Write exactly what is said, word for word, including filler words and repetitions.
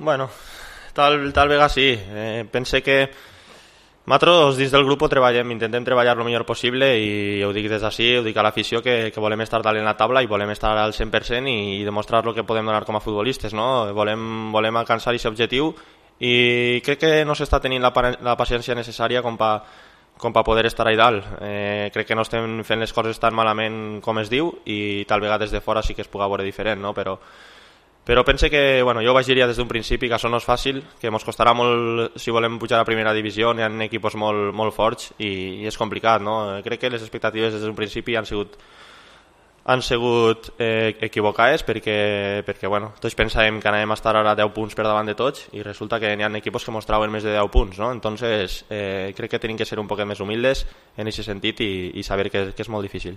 Bueno, tal, tal vegada sí. Eh, pense que nosaltres dins del grup ho treballem, intentem treballar el millor possible i ho dic des d'ací, ho dic a l'afició que, que volem estar dalt en la taula i volem estar al cent per cent i, i demostrar el que podem donar com a futbolistes, no? Volem, volem alcançar aquest objectiu i crec que no s'està tenint la, la paciència necessària com pa, com per poder estar allà dalt. Eh, crec que no estem fent les coses tan malament com es diu i tal vegada des de fora sí que es puga veure diferent, no? Però Però pense que, bueno, jo vaig dir ja des d'un principi que això no és fàcil, que ens costarà molt si volem pujar a primera divisió, hi ha equipos molt, molt forts i, i és complicat, no? Crec que les expectatives des d'un principi han sigut han sigut eh, equivocades perquè, perquè bueno, tots pensàvem que anàvem a estar ara deu punts per davant de tots i resulta que hi ha equipos que mostraven més de deu punts, no? Entonces eh, crec que tenim que ser un poquet més humildes en aquest sentit i, i saber que, que és molt difícil.